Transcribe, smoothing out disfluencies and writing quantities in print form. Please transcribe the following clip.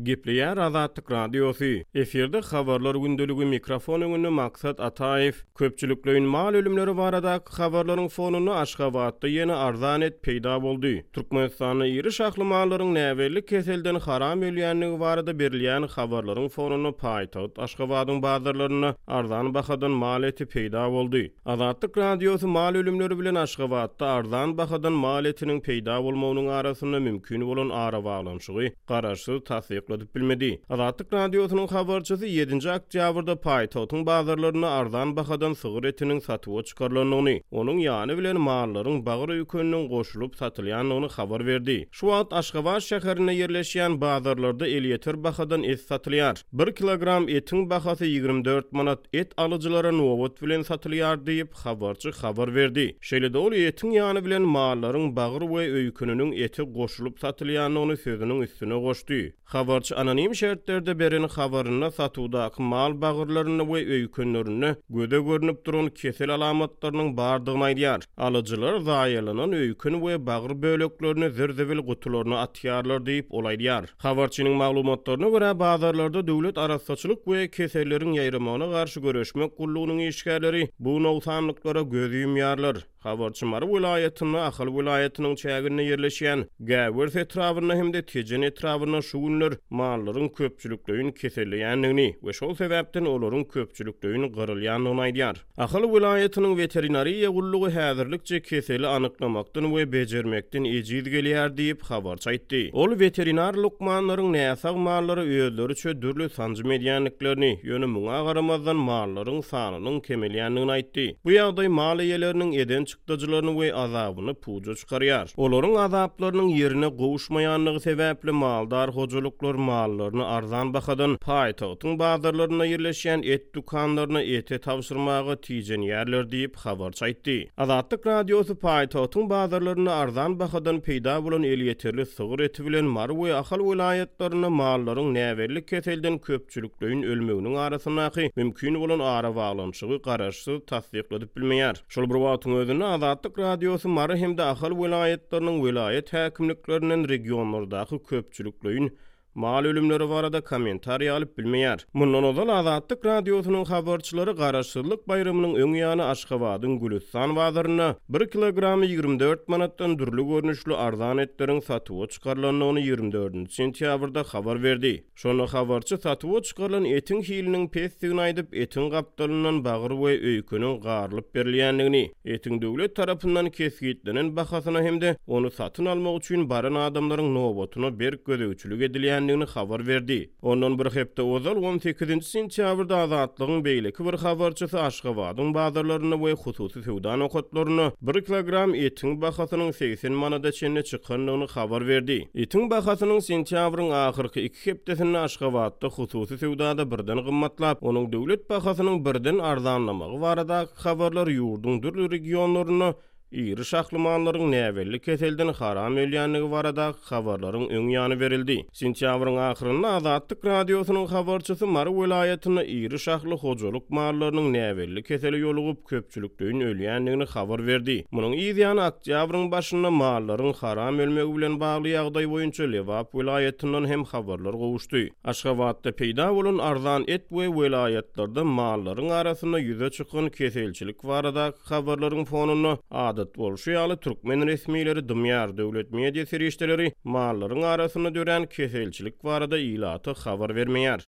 Gepleýär Azatlyk Radiosy, Efirde Habarlar gündeligi, mikrofon öňünde Maksat Ataýew. Köpçülikleýin mal ölümleri baradaky habarlaryň fonunda Aşgabatda ýene arzan et peýda boldy. Türkmenistanda iri şahly mallaryň näbelli keselden haram ölýändigi barada berilýän habarlaryň fonunda paýtagt Aşgabadyň bazarlarynda arzan bahadan mal eti peýda boldy. Azatlyk Radiosy mal ölümleri bilen Aşgabatda arzan bahadan mal etiniň peýda bolmagynyň arasynda mümkin bolan arabaglanyşygy garaşsyz tassykladyp bilmedi. Azatlyk Radiosynyň habarçysy ýedinji oktýabrda paýtagtyň bazarlarynda arzan bahadan sygyr etiniň satuwa çykarylandygyny, onuň ýany bilen mallaryň bagyr öýkeniniň goşulyp satylýandygyny habar berdi. Şu wagt Aşgabat şäherinde ýerleşýän bazarlarda elýeter bahadan et satylýar. Bir kilogram etiň bahasy 24 manat, et alyjylara nobat bilen satylýar diýip, habarçy habar berdi. Şeýle-de ol etiň ýany bilen mallaryň bagyr we öýkeniniň eti goşulyp satylýandygyny sözüniň üstüne goşdy. Habarçy anonim şertlerde beren habarynda satuwdaky mal bagyrlarynda we öýkenlerinde göze görnüp duran kesel alamatlarynyň bardygyny aýdýar. Alyjylar zaýalanan öýken we bagyr böleklerini zir-zibil gutularyna atýarlar diýip, ol aýdýar. Habarçynyň maglumatlaryna görä, bazarlarda döwlet arassaçylyk we keselleriň ýaýramagyna garşy göreşmek gullugynyň işgärleri bu nogsanlyklara göz ýumýarlar. Habarçy Mary welaýatynda, Ahal welaýatynyň çäginde ýerleşýän Gäwers etrabynda hem-de Tejen etrabynda şu günler mallaryň köpçülikleýin keselleýändigini we şol sebäpden olaryň köpçülikleýin gyrylýandygyny aýdýar. Ahal welaýatynyň weterinariýa gullugy häzirlikçe keseli anyklamakdan we bejermekden ejiz gelýär diýip, habarçy aýtdy. Ol weterinar lukmanlaryň näsag mallara özleriçe dürli sanjym edýändiklerini, ýöne muňa garamazdan mallaryň sanynyň kemelýändigini aýtdy. Bu ýagdaý mal eýeleriniň eden çykdajylaryny we azabyny puja çykarýar. Olaryň azaplarynyň ýerine gowuşmaýandygy sebäpli maldar hojalyklar mallaryny arzan bahadan paýtagtyň bazarlarynda ýerleşýän et dükanlaryna ete tabşyrmaga tijenýärler diýip, habarçy aýtdy. Azatlyk Radiosy paýtagtyň bazarlarynda arzan bahadan peýda bolan elýeterli sygyr eti bilen Mary we Ahal welaýatlarynda mallaryň näbelli keselden köpçülikleýin ölmeginiň arasyndaky mümkin bolan arabaglanyşygy garaşsyz tassykladyp bilmeýär. Şol bir wagtyň özünde, Azatlyk Radiosy Mary hem-de Ahal welaýatlarynyň welaýat häkimliklerinden regionlardaky köpçülikleýin mal ölümleri barada kommentariý alyp bilmeýär. Mundan ozal Azatlyk Radiosynyň habarçylary Garaşsyzlyk baýramynyň öň ýany Aşgabadyň Gülüstan bazarynda bir kilogramy 24 manatdan dürli görnüşli arzan etleriň satuwa çykarylandygyny 24-nji sentýabrda habar berdi. Şonda habarçy satuwa çykarylan etiň hiliniň pesdigini aýdyp, etiň gapdalyndan bagyr we öýkeniň garylyp berilýändigini, etiň döwlet tarapyndan kesgitlenen bahasyna hem-de ony satyn almak üçin baran adamlaryň nobatyna berk gözegçilik edilýändigini habar berdi. Ondan bir hepde ozal, on sekizinji sentýabrda Azatlygyň beýleki bir habarçysy Aşgabadyň bazarlarynda we hususy söwda nokatlarynda bir kilogram etiň bahasynyň 80 manada çenli çykandygyny habar berdi. Etiň bahasynyň sentýabryň ahyrky iki hepdesinde Aşgabatda hususy söwdada birden gymmatlap, onuň döwlet bahasynyň birden arzanlamagy baradaky habarlar ýurduň dürli regionlarynda iri şahly mallaryň näbelli keselden haram ölýändigi baradaky habarlaryň öň ýany berildi. Sentýabryň ahyrynda Azatlyk Radiosynyň habarçysy Mary welaýatynda iri şahly hojalyk mallarynyň näbelli kesele ýolugyp, köpçülikleýin ölýändigini habar berdi. Munuň yz ýany oktýabryň başynda mallaryň haram ölmegi bilen bagly ýagdaý boýunça Lebap welaýatyndan hem habarlar gowuşdy. Aşgabatda peýda bolan arzan et we welaýatlarda mallaryň arasynda ýüze çykan keselçilik baradaky habarlaryň fonunda, adat bolşy ýaly, türkmen resmileri dymýar, döwlet media serişdeleri mallaryň arasynda dörän keselçilik barada ilata habar bermeýär.